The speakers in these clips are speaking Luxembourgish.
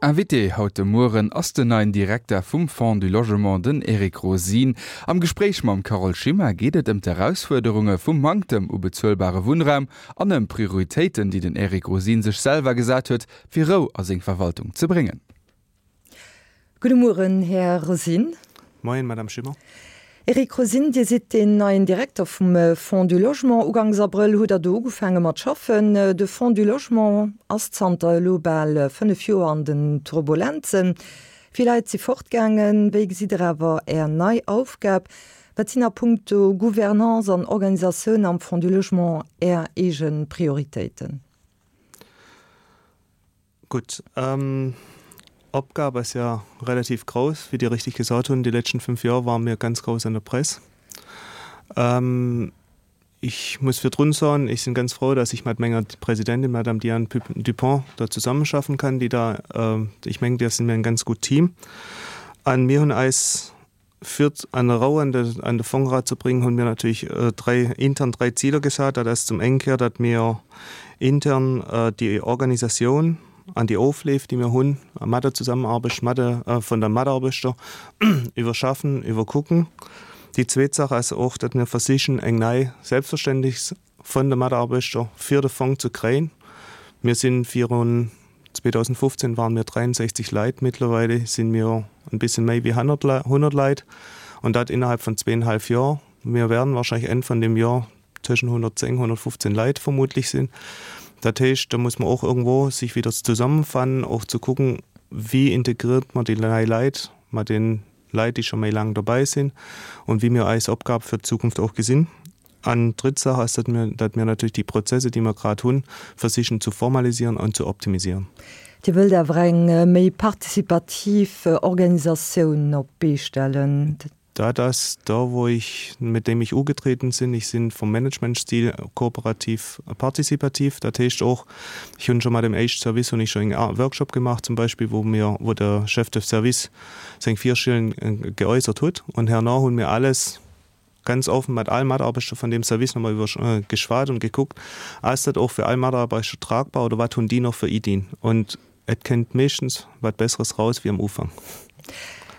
Invité haut de Mueren ass den neien Direkter vum Fonds du Logement, den Eric Rosin. Am Gespréich mam Carole Schimmer geet et ëm d'Erausfuerderunge vum Manktem u bezuelbare Wunnraum an ëm Prioritéiten, déi den Eric Rosin sech selwer gesat huet, fir Rou a seng Verwaltung ze bréngen. Gudde Mueren, Här Rosin. Moien, Madame Schimmer. Eric Rosin, Dir sidd deen neien Direkter vum Fonds du Logement. Ugangs Abrëll hutt Der do ugefaange mat schaffen. De Fonds du Logement ass zanter elo bal 5 Joer an den Turbulenzen. Vill Leit si fortgaangen. Wéi gesitt Der awer Är nei Aufgab? Wat sinn a punkto Gouvernance an Organisatioun am Fonds du Logement Är eege Prioritéiten? Gutt, Opgab ass ja relativ grouss, wéi Dir richtig gesot hunn. Déi letzten 5 Joer ware mir ganz grouss an der Press. Ich muss virdrun soen, ich sinn ganz frou, dass ich mat menger Presidentin, Madame Diane Dupont, da zusammenschaffen kann, déi da, ich mengen, da si mir en ganz gutt Team. An mir hunn eis Fir an Rou an de an de Fong erazebréngen, hunn mir natierlech dräi intern dräi Ziler gesat. Dat ass zum eng Kéier, datt mir intern déi Organisatioun an déi Ofleef, déi mir hunn mat der Zusammenarbecht mat de vun der Mataarbechter iwwerschaffen, iwwerkucken. Déi zweet Saach ass och, datt mir versichen eng nei selbstverständlech vun de Mataarbechter fir de Fong ze kréien. Mir sinn virun 2015 waren mir 63 Leit, mittlerweile sinn mir en bisschen méi wéi 100 Leit an dat innerhalb von zweieinhalb Jahr. Mir werden wahrscheinlich Enn von dem Jahr tëschent 110, 115 Leit vermutlich sinn. Dat heescht, da muss man och irgendwo sich wieder zusammenfannen, och zu kucken, wéi integriert man déi nei Leit mat den Leit, déi scho méi laang dobäi sinn und wéi mir eis Opgab fir d'Zukunft och gesinn. An d'dritt Saach ass, datt mir, datt mir natierlech déi Prozesse, déi mer grad hunn, versichen zu formalisieren an zu optimisieren. Dir wëllt awer eng méi participativ Organisatioun op d'Bee stellen. Dat ass da, wou ech, mit dem ich ugetreten sinn. Ich sinn vom Managementstil kooperativ partizipativ. Dat heescht och, ech hunn scho mat dem éischt Service hunn ech scho en Workshop gemaach zum Beispill, wou mir, wou de Chef de Service seng Virschelen geäussert hutt. Und herno hunn mir alles ganz offen mat all Mataarbechter von deem Service nochmal iwwer geschwat und gekuckt, ass dat och fir all Mataarbechter tragbar oder wat hunn déi noch fir Iddien? Und et kënnt meeschtens wat Besseres raus wéi am Ufank.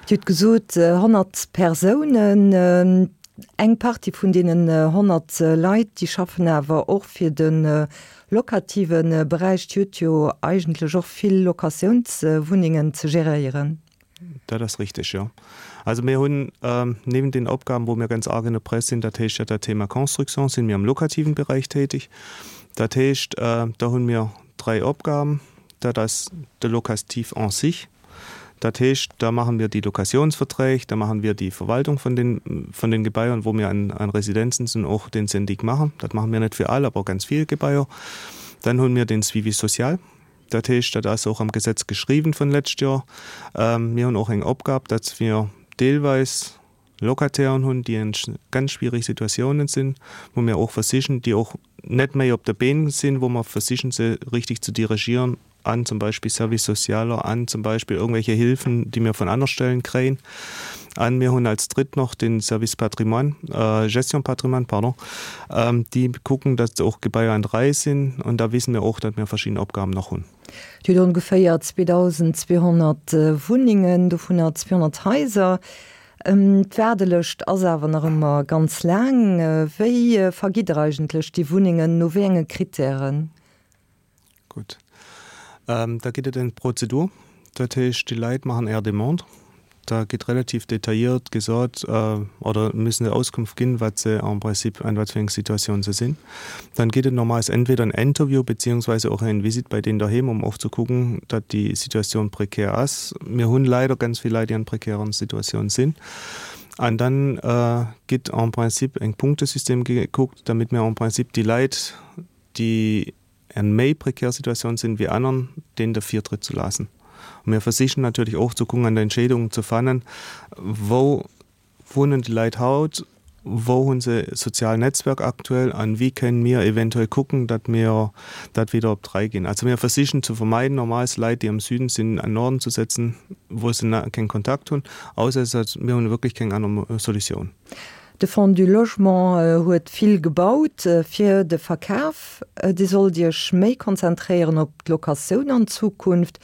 Dir hutt gesot 100 Persounen. Eng Partie vun deenen 100 Leit, déi schaffen awer och fir de locative Beräich. Dir hutt jo eigentlech och vill Locatiounswunnengen ze geréieren. Dat ass richtig, jo. Also mir hunn neben den Opgaben, wou mir ganz arg in der Press sinn, dat heescht ja dat Thema Construction, sinn mir am lokativen Bereich tätig. Dat heescht, do hunn mir dräi Opgaben. Dat ass de Locatif en sich. Dat heescht, da machen wir déi Locationsverträg, da machen wir déi Verwaltung von den, von den Gebaiern, wou mir an, an Residenzen sinn, och den Syndic machen. Dat machen mir net fir all, awer ganz vill Gebaier. Dann hunn mir den Suivi social. Dat heescht, dat ass och am Gesetz geschriwwen vun lescht Joer. Mir hunn och eng Opgab, datt mir deelweis Locatairen hunn, déi an ganz schwiereg Situatiounen sinn, wou mir och versichen, déi och net méi op de Been sinn, wou mer versichen, se richtig ze dirigieren an zum Beispill Service socialer, an zum Beispill irgendwelche Hilfen, déi mir vun aner Stellen kréien. An mir hunn als dritt noch den Service Patrimoine, Gestion Patrimoine, pardon, déi kucken, datt och Gebaier an der Rei sinn. An da wissen mir och, datt mir verschidden Opgaben nach hunn. Dir hutt ongeféier 2.200 Wunnengen, dovunner 200 Haiser. D'Waardelëscht ass awer nach ëmmer ganz laang. Wéi vergitt Der eigentlech déi Wunnengen, no wéi enge Krittären? Gutt. Da gëtt et eng Prozedur. Dat heescht, déi Leit maachen är Demande. Da gëtt relativ detailliert gesot oder müssen se Auskunft ginn, wat se en principe, an wat fir eng Situatioun se sinn. Dann gëtt et normalerweis entweder en Interview beziehungsweise och eng Visite bei deenen doheem, um och ze kucken, datt déi Situatioun prekär ass. Mir hunn leider ganz vill Leit, déi an prekären Situatiounen sinn. An dann gëtt en principe eng Punktesystem gekuckt, damit mir en principe déi Leit, déi en méi prekär Situatioun sinn wéi anern, deen de Virtritt ze laassen. A mir versichen natierlech och ze kucken an der Entscheedung ze fannen, wou wunnen déi Leit haut, wou hu se e sozial Netzwerk aktuell an wéi kënnen mir eventuell kucken, datt mir dat wieder op d'Rei ginn. Also mir versichen ze vermeiden, normalerweis Leit, déi am Süden sinn, an Norden ze setzen, wou se keng Kontakt hunn, ausser et ass, mir hunn wierklech keng aner Solutioun. De Fonds du Logement huet vill gebaut fir de Verkaf. Dir sollt Iech méi konzentréieren op d'Locatioun an Zukunft.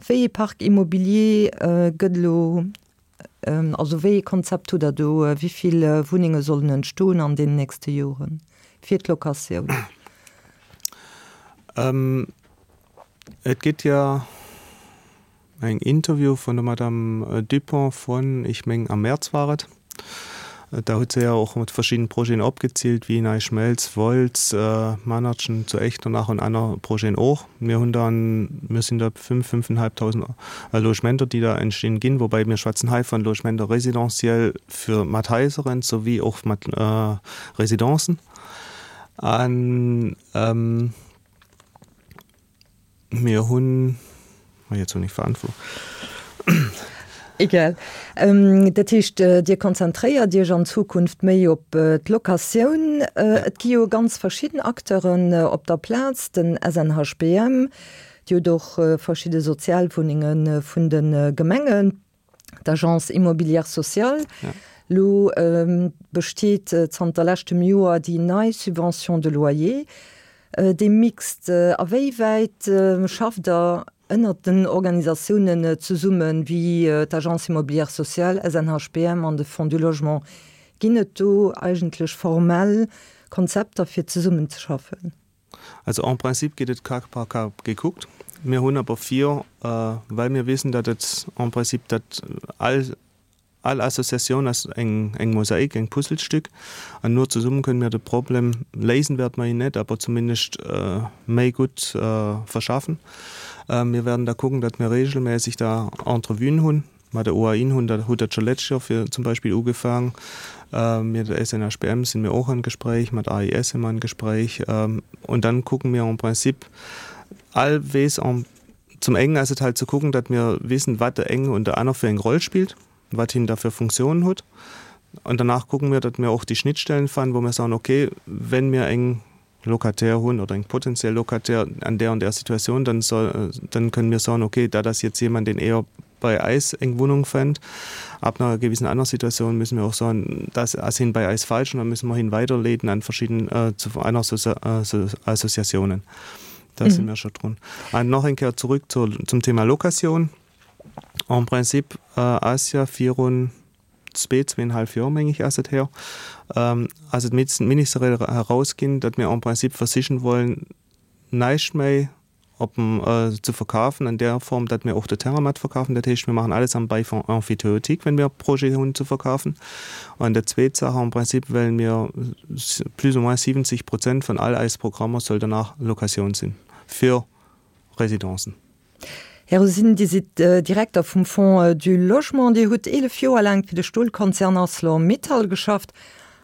Wéi ee Parc immobilier gëtt elo, also wéi ee Konzept hutt Der do? Wéi vill Wunnenge sollen entstoen an deenen nächste Joren fir d'Locatioun? Et gëtt jo Eng Interview vun der Madame Dupont vun, ech meng am März war et, da huet se jo och mat verschidden Projeten opgezielt, wéi Nei Schmelz, Wolz, Manertchen zu Echternach und aner Projeten och. Mir hunn dann, mir sinn da 5, 5.500 Logementer, déi da entstinn ginn, woubäi mir schwätzen hei von Logementer résidentiel fir mat Haiseren souwéi och mat Residencen. An Mir hunn, oh jetzt hunn ech Faden verluer. Egal. Dat heescht, Dir konzentréiert Iech an Zukunft méi op d'Locatioun. Et gi jo ganz verschidden Acteuren op der Plaz, den SNHBM, Dir hutt och verschidde Sozialwunnenge vun de Gemengen. d'Agence immobilière sociale. Elo besteet zanter leschtem Joer déi nei Subvention de loyer, déi mixte. A wéi wäit schafft Der ënnert den Organisatiounen zesummen, wéi d'Agence immobilière sociale, SNHBM an de Fonds du Logement? Ginn et do eigentlech formell Konzepter fir zesummenzeschaffen? Also en principe gétt et cas par cas gekuckt. Mir hunn awer vir, well mir wissen, datt et en principe, datt all, all Associatioun ass eng, eng Mosaik, eng Puzzlestück, an nur zesummen kënnen mir de Problem, léisen wäerte mer ihn net, awer zumindest méi gutt verschaffen. Mir werden da kucken, datt mir regelmäßig da Entrevuen hunn Mat der OAIN hunn dat huet dat scho letzt Joer fir zum Beispill ugefaang. Mir der SNHBM sinn mir och an Gespréich, mat AIS si mer an Gespréich. Und dann kucken mir en principe all weess en zum engen ass et halt ze kucken, datt mir wissen, wat der eng und der aner fir eng Roll spillt, wat hien da fir Funktiounen huet. Und danach kucken mir, datt mir och déi Schnittstellen fannen, wou mir soen, okay, wenn mir eng Locataire hunn oder eng potenziell Locataire an där und där Situatioun, dann soll, dann kënnen mir soen, okay, dat ass jetzt jemand, deen eher bei eis eng Wohnung fënnt. Ab einer gewissen aner Situatioun müssen mir och soen, das ass hien bei eis falsch und dann müssen mer hien weiderleeden an verschidden, zu aner Associatiounen. Da si mir scho drun. An nach eng Kéier zurück zur, zum Thema Locatioun. En principe ass ja virun zwee, zweenhalf Joer, meng ich, ass et her, ass et ministeriell herausginn, datt mir en principe versichen wollen, näischt méi op dem ze verkafen an där Form, datt mir och de Terrain mat verkafen. Dat heescht, mir maachen alles am Bail emphytéotique, wenn mir Projete hunn ze verkafen. An dat zweet Saach, en principe wellen mir plus ou moins 70 Prozent vun all eis Programmer soll danach Locatioun sinn fir Residencen. Här Rosin, Dir sidd Direkter vum Fonds du Logement. Dir hutt 11 Joer laang fir de Stolkonzern Arcelor-Mittal geschafft,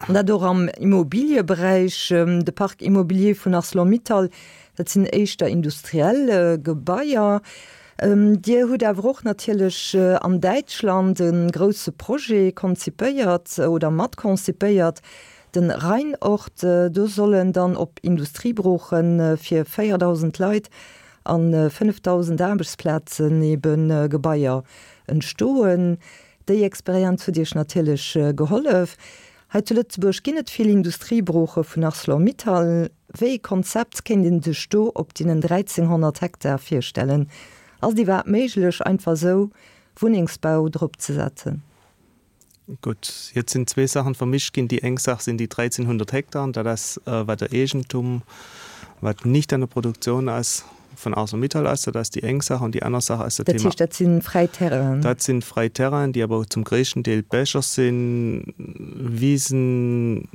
an dat och am Immobilieberäich. De Parc immobilier vun Arcelor-Mittal, dat sinn éischter industriell Gebaier. Dir hutt awer och natierlech an Däitschland e grousse Projet konzipéiert oder matkonzipéiert, den Rheinort. Do sollen dann op Industriebrooche fir 4.000 Leit An 5.000 Aarbechtsplazen ebe Gebaier entstoen. Déi Experienz huet Iech natierlech gehollef. Hei zu Lëtzebuerg ginn et vill Industriebrooche vun Arcelor-Mittal. Wéi ee Konzept kéint een sech do op deenen 1.300 Hektar virstellen? Ass et iwwerhaapt méiglech, einfach esou Wunnengsbau drop ze setzen? Gutt, jetzt sinn zwee Saachen vermischt ginn. Déi eng Saach sinn déi 1.300 Hektaren, dat ass wat der Eegentum, wat nicht an der Produktion ass, vun ArcelorMittal ass. Dat ass déi eng Saach. An déi aner Saach ass dat Thema. Dat heescht, dat si fräi Terrainen? Dat si fräi Terrainen, déi awer zum gréissten Deel Becher sinn, Wisen,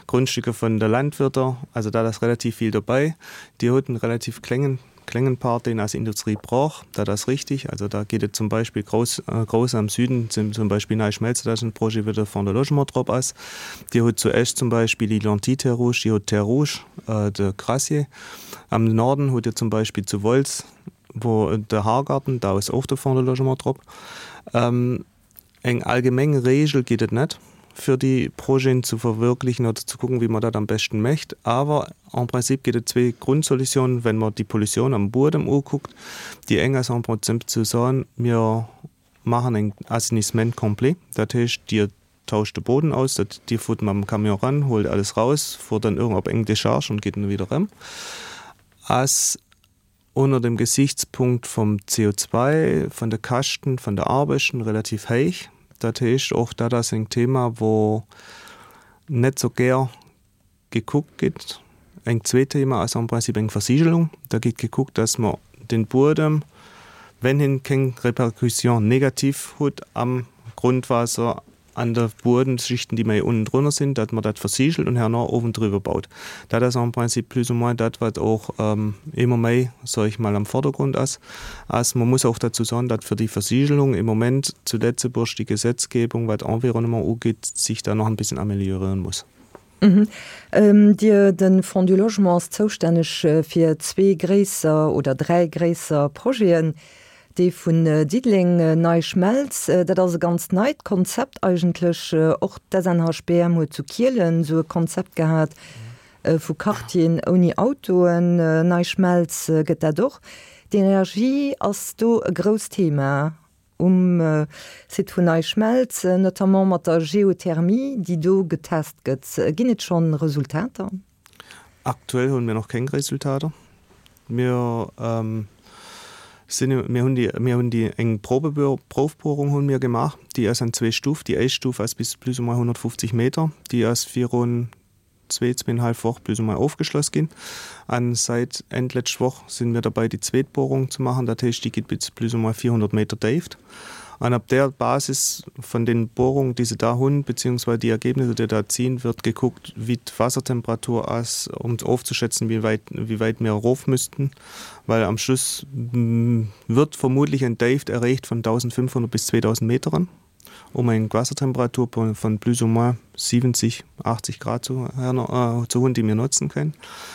Grundstücke vun de Landwirter, also dat ass relativ vill dobäi. Dir hutt en relativ kléngen, kléngen Part, deen ass Industrie brauch, dat ass richtig. Also da geet et zum Beispill grouss, grouss am Süden, zum Beispill Nei Schmelz, dat ass en Projet, wou de Fonds de Logement drop ass. Dir hutt zu Esch zum Beispill déi Lentille Terre Rouge, Dir hutt Terre Rouge, de Crassier. Am Norden hutt Dir zum Beispill zu Wolz, wou de Haargarten, da ass och de Fonds de Logement drop. Eng allgemeng Regel gétt et net, fir déi Projeten ze verwirklichen oder ze kucken, wéi man dat am beschten mécht. Awer en principe gétt et zwee Grundsolutionen, wenn mer déi Pollution am Buedem ukuckt. Déi eng ass en principe ze soen, mir maachen eng Assainissement complet, dat heescht, Dir tauscht de Boden aus, dat Dir fuert mam Camion ran, huelt alles raus, fuert dann irgend op eng Décharge und geet dann wieder erëm. Ass. unter dem Gesichtspunkt vom CO2, von de Käschten, von de Arbechten relativ héich. Dat heescht, och dat ass en Thema, wou net sou gär gekuckt gëtt. Eng zweet Thema ass am Prinzip eng Versigelung. Da gëtt gekuckt, dass mer den Buedem, wenn hien keng Répercussion négative huet am Grundwasser, an de Buedemschichten, déi méi unnen drunner sinn, datt mer dat versiegelt und herno owen driwwer baut. Dat ass en principe plus ou moins dat, wat och ëmmer méi, soll ich mal, am Vordergrund ass. Ass, man muss auch dazu sagen, datt fir déi Versiegelung im Moment zu Lëtzebuerg déi Gesetzgebung, wat Environnement ugeet, sich da noch ein bisschen amélioréieren muss. Dir, de Fonds du Logement ass zoustänneg fir zwee gréisser oder dräi gréisser Projeten. Dee vun Diddeleng, Nei Schmelz, dat ass e ganz neit Konzept eigentlech. Och d'SNHBM huet zu Kielen esou e Konzept gehat vu Quartieren ouni Autoen. Nei Schmelz gëtt dat och. D'Energie ass do e grousst Thema. Um Site vun NeiSchmelz, notamment mat der Geothermie, déi do getest gëtt. Ginn et schonn Resultater? Aktuell hunn mir nach keng Resultater. Mir sinn, mir hunn déi, mir hunn déi eng Proufbuerung hunn mir gemaach, déi ass an zwee Stuf. Déi éischt Stuf ass bis plus ou moins 150 Meter, déi ass virun zwee, zweenhalf Woch plus ou moins ofgeschloss ginn. An seit Enn d'lescht Woch sinn mir derbei déi zweet Bohrung ze maachen, dat heescht déi geet bis plus ou moins 400 Meter Déift. An op där Basis vun den Bohrungen déi se da hunn, beziehungsweise déi Ergebnisse déi da ziehen, wird gekuckt wéi d'Wassertemperatur ass, um ofzeschätzen wéi wäit wéi wäit mir erof müssten, well am Schluss wird vermutlich eng Déift erreecht vun 1.500 bis 2.000 Meteren. um eng Waassertemperatur von plus ou moins 70, 80 Grad zu, äh, zu hunn, déi mir notzen kënnen.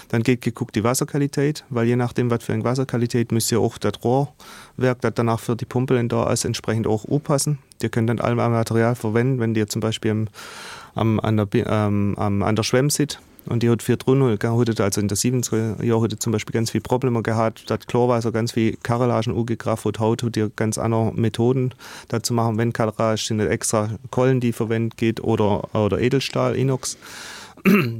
Dann gétt gekuckt déi Waasserqualitéit, well je nachdem wat fir eng Waasserqualitéit müsst Dir och dat Rohrwerk, dat danach fir déi Pompelen da ass, entsprechend och upassen. Dir kënnt net all Material verwenden, wenn Dir zum Beispill am, am, an der, ähm, an der Schwämm sidd. An Dir hutt virdrun, hutt et also in der siwwenzeger Joer hutt et zum Beispill ganz vill Problemer gehat, datt Chlorwaasser ganz vill Carrelagen ugegraff hutt. Haut hutt Dir ganz aner Methoden, dat ze maachen. Wenn Carrelage, sinn et extra Kollen, déi verwennt gitt oder, oder Edelstahl, Inox.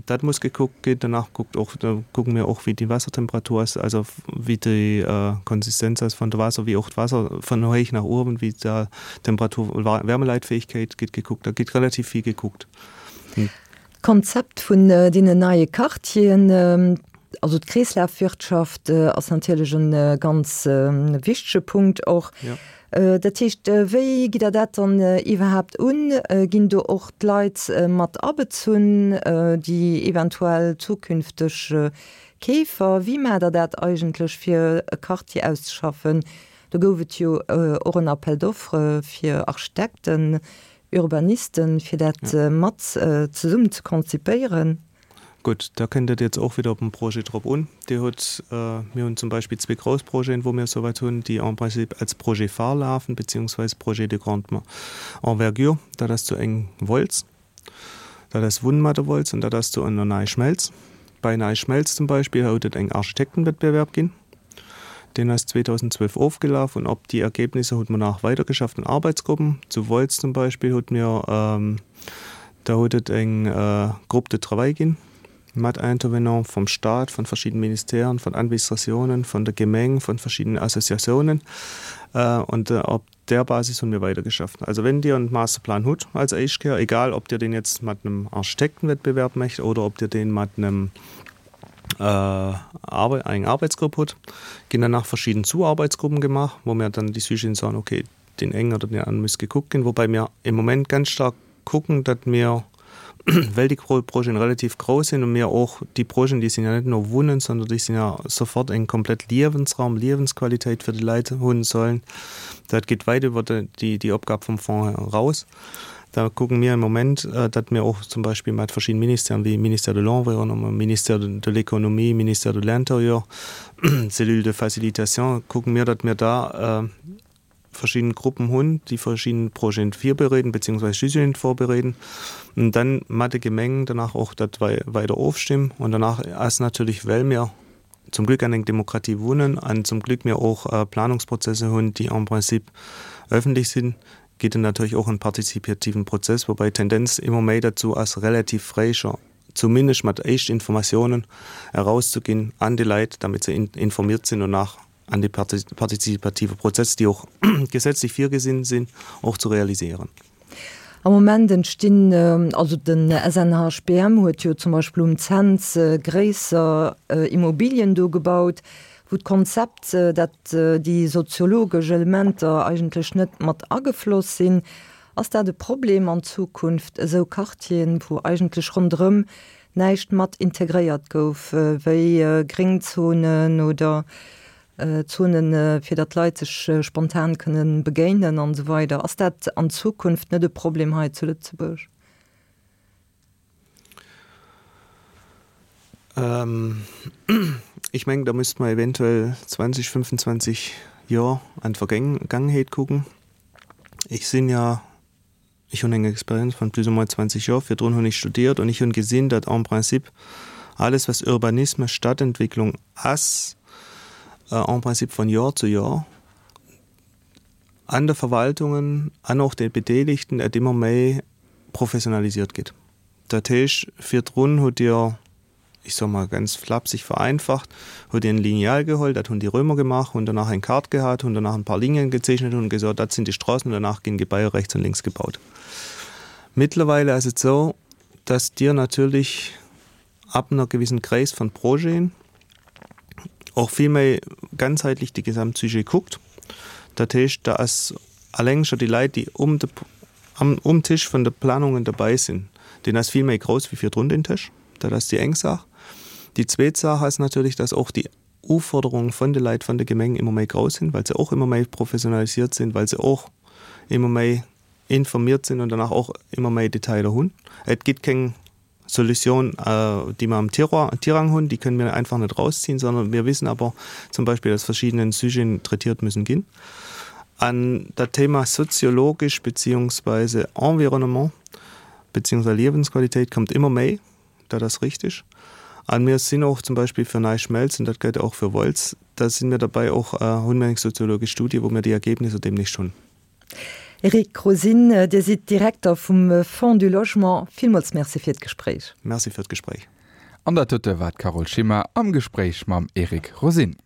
Dat muss gekuckt ginn. Danach kuckt och, da kucke mir och, wéi déi Waassertemperatur ass, also wéi déi Konsistenz ass vun der Waasser, wéi och d'Waasser vun héich nach uewen, wéi d'Temperatur, Wärmeleitfähigkeit gëtt gekuckt. Da gëtt relativ vill gekuckt. D'Konzept vun deenen neie Quartieren, also d'Kreeslafwirtschaft ass natierlech e ganz wichtege Punkt och. Dat heescht, wéi gitt Der dat dann iwwerhaapt un? Ginn do och d'Leit mat abezunn, déi eventuell zukünfteg Keefer? Wéi maacht Der dat eigentlech, fir e Quartier auszeschaffen? Do gouf et jo och en Appel d'offres fir Architekten, Urbanisten, fir dat mat zesummen ze konzipéieren. Gutt, da kënnt et jetzt och wieder op den Projet drop un. Dir hutt, mir hunn zum Beispill zwee grouss Projeten, wou mir esouwäit hunn, déi en principe als Projet phare lafen, beziehungsweise Projet de grande envergure. Dat ass zu eng Wolz, dat ass Wunn mat der Wolz an dat ass zu an der NeiSchmelz. Bei NeiSchmelz zum Beispill huet et eng Architektenwettbewerb ginn. Deen ass 2012 ofgelaf und op déi Ergebnisser hutt mer nach weidergeschafft an Arbeitsgruppen. Zu Wolz zum Beispill hutt mir, da huet et eng Groupe de travail ginn mat Intervenants vom Staat, von verschiedenen Ministèren, von Administratiounen, von der Gemeng, von verschiedenen Associatiounen und op där Basis hunn mir weidergeschafft. Also wenn Dir en Masterplan hutt als éischt Kéier, egal ob Dir deen jetzt mat einem Architektenwettbewerb mécht oder ob Dir deen mat einem eng Arbeitsgrupp hutt, ginn danach verschidden Zuarbeitsgruppen gemaach, wou mir dann déi Sujeten soen, okay, deen eng oder deen aneren muss gekuckt ginn, woubäi mir im Moment ganz stark kucken, datt mir, well déi Projeten relativ grouss sinn und mir och déi Projeten, déi sinn ja net no Wunnen, sondern déi sinn ja sofort eng komplett Liewensraum, Liewensqualität fir déi Leit hunn sollen, dat geet wäit iwwer déi déi Opgab vum Fonds eraus. Da kucken mir im Moment, datt mir och zum Beispill mat verschiddenen Ministèren, wéi Ministère de l'Environnement, Ministère de l'Économie, Ministère de l'Intérieur, Cellule de facilitation, kucken mir, datt mir da verschidden Gruppen hunn, déi verschidden Projeten virbereeden beziehungsweise Sujeten vorbereeden und dann mat de Gemengen danach och dat weider ofstimmen. Und danach ass natürlich, well mir zum Glück an eng Demokratie wunnen an zum Glück mir och Planungsprozesse hunn, déi en principe öffentlich sinn, geet et natierlech och en partizipativen Prozess, woubäi d'Tendenz ëmmer méi derzou ass, relativ fréi scho zumindest mat éischt Informatiounen erauszuginn an déi Leit, damit se informiert sinn und nach. an de partizipative Prozess, déi och gesetzlech virgesinn sinn, och zu realisieren. Am Moment entstinn, also den SNHBM huet jo zum Beispill um Cents gréisser Immobilien do gebaut, wou d'Konzept, dat déi soziologesch Elementer eigentlech net mat agefloss sinn. Ass dat e Problem an Zukunft, esou Quartieren, wou eigentlech ronderëm näischt mat integréiert gouf, wéi Gréngzonen oder Zonen, fir datt d'Leit sech spontan kënne begéinen an esou weider. Ass dat an Zukunft net e Problem hei zu Lëtzebuerg? Ech mengen, da müsste mer eventuell 20, 25 Joer an d'Vergaangenheet kucken. Ech sinn ja Ech hunn eng Experienz von plus ou moins 20 Joer. Virdrun hunn ech studiert und ich hunn gesinn, datt en principe alles was Urbanisme, Stadtentwicklung ass, en principe von Joer zu Joer an de Verwaltungen an och de Bedeeligten et ëmmer méi professionalisiert gétt. Dat heescht, virdrun hutt Dir ich soe mol ganz flapsig vereinfacht, huet een Lineal geholl, dat hunn déi Römer gemaach, hunn danach eng Kaart gehat, hunn danach en paar Linien gezeechnet, hunn gesot, dat sinn déi Stroossen und danach ginn Gebaier rechts und links gebaut. Mittlerweile ass et sou, dass Dir natierlech ab einer gewissen Gréisst von Projeten och vill méi ganzheitlich de Gesamtsujet kuckt. Dat heescht, da ass alleng scho déi Leit, déi um de, am, um Tisch vun de Planungen derbäi sinn, deen ass vill méi grouss wéi virdrun deen Tisch. Dat ass déi eng Saach. Déi zweet Saach ass natierlech, dass och déi Uforderungen vun de Leit vun de Gemengen ëmmer méi grouss sinn, well se och ëmmer méi professionalisiert sinn, well se och ëmmer méi informiert sinn an danach och ëmmer méi Detailer hunn. Et gëtt keng Solution, déi mer am Tiroir, Tirang hunn, déi kënnen mir einfach net rausziehen, sondern mir wissen aber zum Beispill, dass verschiedene Sujeten traitiert müssen ginn. An dat Thema soziologisch beziehungsweise Environnement beziehungsweise Liewensqualität kommt immer méi, dat ass richtig. An mir sinn och zum Beispill fir NeiSchmelz, und dat gëllt och fir Wolz, da si mir derbäi och, hunn mir eng soziologesch Studie, wou mir déi Ergebnisser demnächst hunn. Eric Rosin, Dir sidd Direkter vum Fonds du Logement. Villmools Merci fir d'Gespréich. Merci fir d'Gespréich. An dat dote war d'Carole Schimmer am Gespréich mam Eric Rosin.